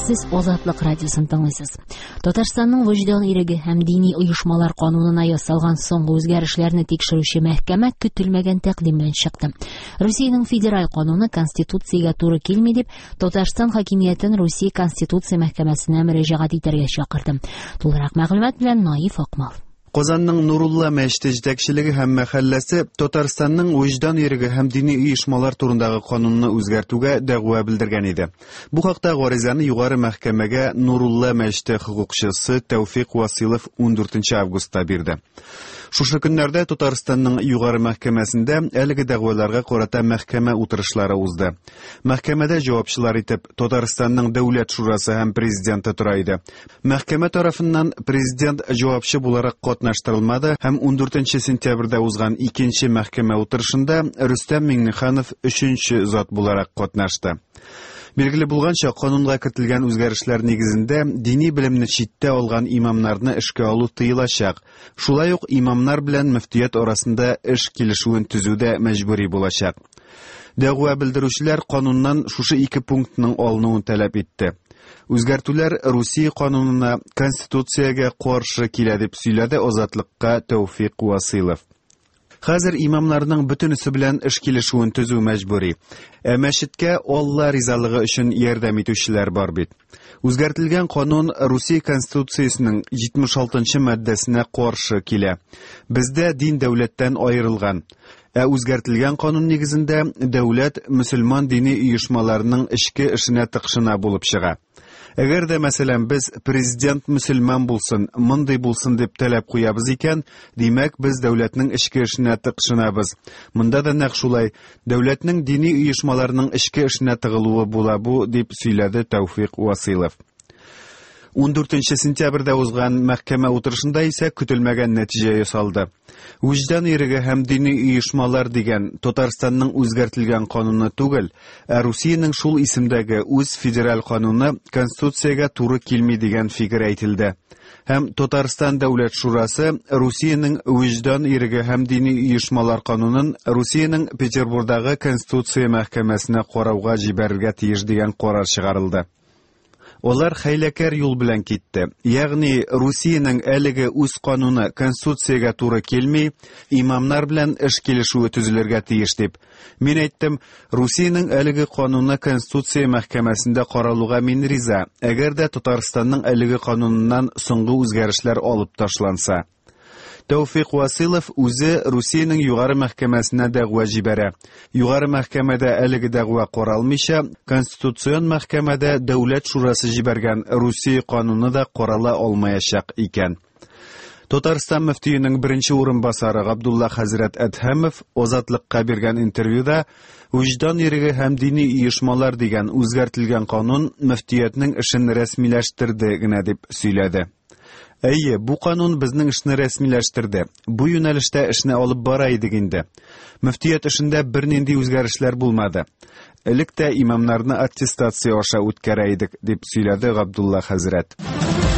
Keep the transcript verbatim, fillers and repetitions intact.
Сез Азатлык радиосын тыңлыйсыз. Татарстанның вөҗдан иреге һәм дини оешмалар канунына ясалган соңгы үзгәрешләрне тикшерүче мәхкәмә көтелмәгән тәкъдим белән чыкты. Русиянең федераль кануны Конституциягә туры килми дип, Татарстан хакимиятен Русия Конституция мәхкәмәсенә мөрәҗәгать итәргә чакырды. Тулырак мәгълүмат белән Наиф Акмал. Казанның Нурулла мәчете җитәкчелеге һәм мәхәлләсе Татарстанның вөҗдан иреге һәм дини оешмалар турындагы канунны үзгәртүгә дәгъва белдергән иде. Бу хакта гаризаны югары мәхкәмәгә Нурулла мәчете хокукчысы Тәүфик Василов ундүртенче августта бирде. Шушы көннәрдә Татарстанның югары мәхкәмәсендә әлеге дәгъваларга карата мәхкәмә утырышлары узды. Мәхкәмәдә җавапчылар итеп Татарстанның Дәүләт шурасы һәм президенты тора иде. Мәхкәмә тарафыннан президент җавапчы буларак катнаштырылмады һәм ундүртенче сентябрьдә узган икенче мәхкәмә утырышында Рөстәм Миңнеханов өченче зат буларак катнашты. Билгеле булганча, канунга кертелгән үзгәрешләр нигезендә дини белемне читтә алган имамнарны эшкә алу тыелачак. Шулай ук имамнар белән мөфтият арасында эш килешүен төзү дә мәҗбүри булачак. Дәгъва белдерүчеләр кануннан шушы ике пунктның алынуын таләп итте. Үзгәртүләр Русия канунына, Конституциягә каршы килә дип сөйләде Азатлыкка Тәүфик Василов. Хәзер имамнарның бөтенесе белән эш килешүен төзү мәҗбүри. Ә мәчеткә Алла ризалыгы өчен ярдәм итүчеләр бар бит. Үзгәртелгән канун Русия Конституциясенең җитмеш алтынчы маддәсенә каршы килә. Бездә дин дәүләттән аерылган. Ә үзгәртелгән канун нигезендә дәүләт мөселман дини оешмаларының эчке эшенә тыкшына булып чыга. Әгәр дә, мәсәлән, без президент мөселман булсын, мондый булсын дип таләп куябыз икән, димәк, без дәүләтнең эчке эшенә тыкшынабыз. Монда да нәкъ шулай, дәүләтнең дини оешмаларының эчке эшенә тыгылуы була бу, дип сөйләде Тәүфик Василов. Ундүртенче сентябрьдә узган мәхкәмә утырышында исә көтелмәгән нәтиҗә ясалды. Вөҗдан иреге һәм дини оешмалар дигән Татарстанның үзгәртелгән кануны түгел, ә Русиянең шул исемдәге үз федераль кануны Конституциягә туры килми дигән фикер әйтелде. Һәм Татарстан Дәүләт шурасы Русиянең вөҗдан иреге һәм дини оешмалар канунын Русиянең Петербургдагы Конституция мәхкәмәсенә карауга җибәрергә тиеш дигән карар чыгарылды. Алар хәйләкәр юл белән китте. Ягъни Русиянең әлеге үз кануны Конституциягә туры килми, имамнар белән эш килешүе төзелергә тиеш дип. Мин әйттем, Русиянең әлеге кануны Конституция мәхкәмәсендә каралуга мин риза, әгәр дә Татарстанның әлеге кануныннан соңгы үзгәрешләр алып ташланса. Тәүфик Василов үзе Русиянең югары мәхкәмәсенә дәгъва җибәрә. Югары мәхкәмәдә әлеге дәгъва каралмыйча, Конституцион мәхкәмәдә Дәүләт шурасы җибәргән Русия кануны да карала алмаячак икән. Татарстан мөфтиенең беренче урынбасары Габдулла хәзрәт Әдһәмов Азатлыкка биргән интервьюда вөҗдан иреге һәм дини оешмалар дигән үзгәртелгән канун мөфтиятнең эшен рәсмиләштерде генә дип сөйләде. Әйе, бу канун безнең эшне рәсмиләштерде. Бу юнәлештә эшне алып бара идек инде. Мөфтият эшендә бернинди үзгәрешләр булмады. Элек тә имамнарны аттестация аша үткәрә идек, дип сөйләде Габдулла хәзрәт.